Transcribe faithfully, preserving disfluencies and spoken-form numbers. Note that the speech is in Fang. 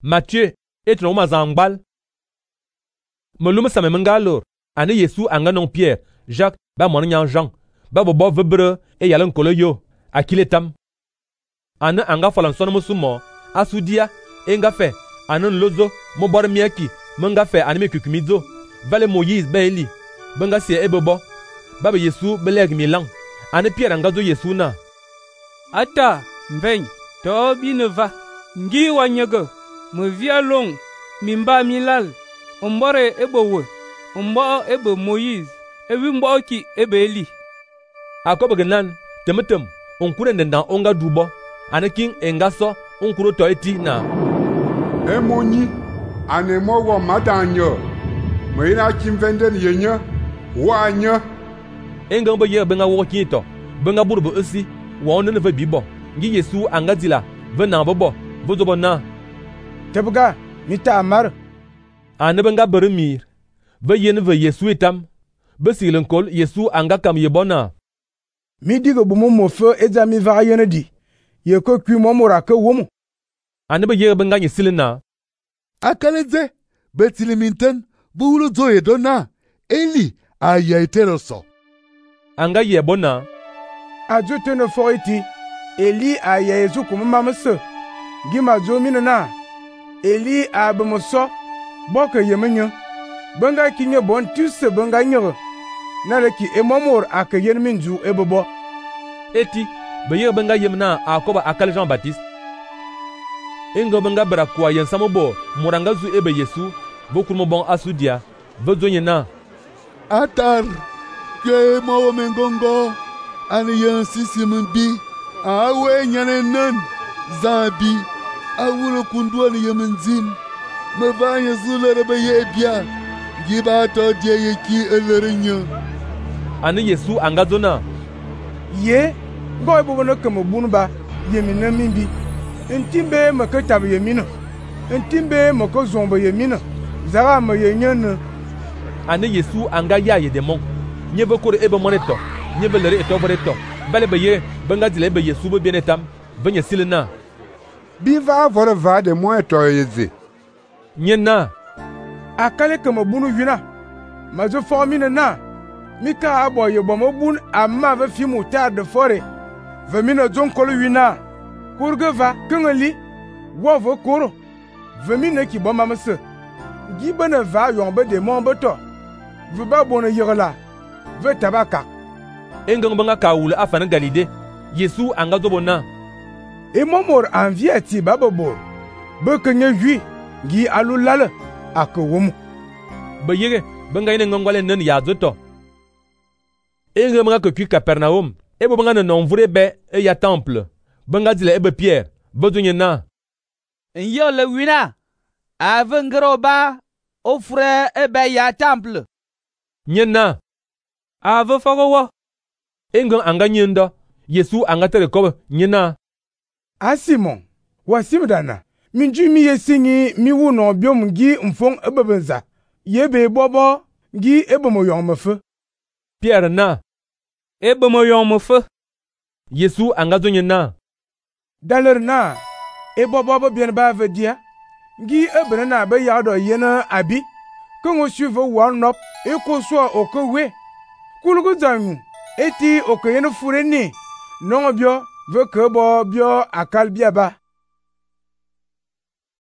Matthieu et tron ma zangbal. Melum same menga lor. Ane Yesu anga non Pierre, Jacques, ba mon nyan Jean. Ba bobo vebre e yalan kolo yo. Akile tam. Ane anga falan son musumo. Asudia. Enga fe. Ane lozo. Mo bor miaki. Menga fe anime kukumizo. Vale Moïse be eli. Benga sie ebebo. Baba Yesu beleg milang. Ane Pierre anga zo Yesu na. Ata, mveny, to bi ne va. Ngi wanyege. Me via long. Mimba milal. Ombore ebo Ombo ebe Moïse. Ewi mbo ki ebe eli. Akobe genan. Temetem. Onkure ndendan onga dubo. Ane king enga so. Onkuro to eti na. Emoni. Ane mo wo madanyo. Me ina kimvende ni yenye. Wanya. Enga mbo ye benga wo kinto. Benga burbo esi. Wa onne ve bibo. Ngi Yesu anga dila. Ve na bobo. Vozobo na. Tebuga. Mita amar. Ane benga beremir. Ve yen ve Yesu etam. Be silen kol Yesu anga kam yebona. Mi digo bumo mo fe ezami va yene di. Ye ko kwi mo mora ke womo. Ane be ye benga nyisilina. Akaleze. Betiliminten. Buulo zoye dona. Eli. Aya eteroso. Anga yebona. Ajo tene fo iti. Eli aya ezu kuma mamse. Gima zo minana. Eli abemoso. Boke yemenyo. Benga kinye bon tuse benga nyere. Naleki emomor ake yen minju ebobo. Eti, beye benga yemna akoba akal Jean Baptiste. Ingo benga bra kwa yen samobo, muranga zu ebe Yesu, bokurmo bon asudia, bezonye na. Atar, ke mo mengongo, ani yen sisimbi, awe nyane nan, zabi, awulo kundu ani yemenjin, me vanye zulere be yebia. Giba to die yeki elerinyo. Ane Yesu angazona. Ye, goy bobo no kemo bunba, yemina mimbi. Ntimbe mako tab yemina. Ntimbe mako zombo yemina. Zara ma yenyene. Ane Yesu anga ya ye demon. Nyebe kore ebe moneto. Nyebe lere eto boreto. Bale beye, benga dile ebe Yesu be bienetam. Venye silena. Biva vore va de mo eto yeze. Nyena. Akale kemo bunu wina. Mazo formine na. Mika abo ye bomo bun amma ve fimu tar de fore. Ve mina zon kolo wina. Kurge va kengeli. Wo ve koro. Ve mina ki boma mse. Gibene va yombe de mon beto. Ve ba bona yigala. Ve tabaka. Engang banga kawule afana Galilée. Yesu anga zobona. E momor anvie ti bababo. Be kenye hui. Gi alulale. Ake womu. Be yege, benga ine ngongwale nen ya zoto. Enge mga ke kwi Capernaum. Ebo benga ne nonvure be e ya temple. Benga dile ebe Pierre. Bezonye na. Nyo le wina. Ave ngero ba. Ofre ebe ya temple. Nye na. Ave fogo wo. Enge anga nyendo. Yesu anga tere kobe. Nye na. A Simon. Wa simdana. Minju mi yesingi mi wu no biom ngi mfong ebebenza. Yebe bobo ngi ebemo yon mefe. Pierre na. Ebemo yon mefe. Yesu anga zonye na. Daler na. Ebo bobo bien ba vedia. Ngi ebene na be yado yena abi. Kongo suive wan nop. Eko so okowe. Kulugu zangu. Eti okoyene fure ni. Non bio ve kebo bio akal biaba.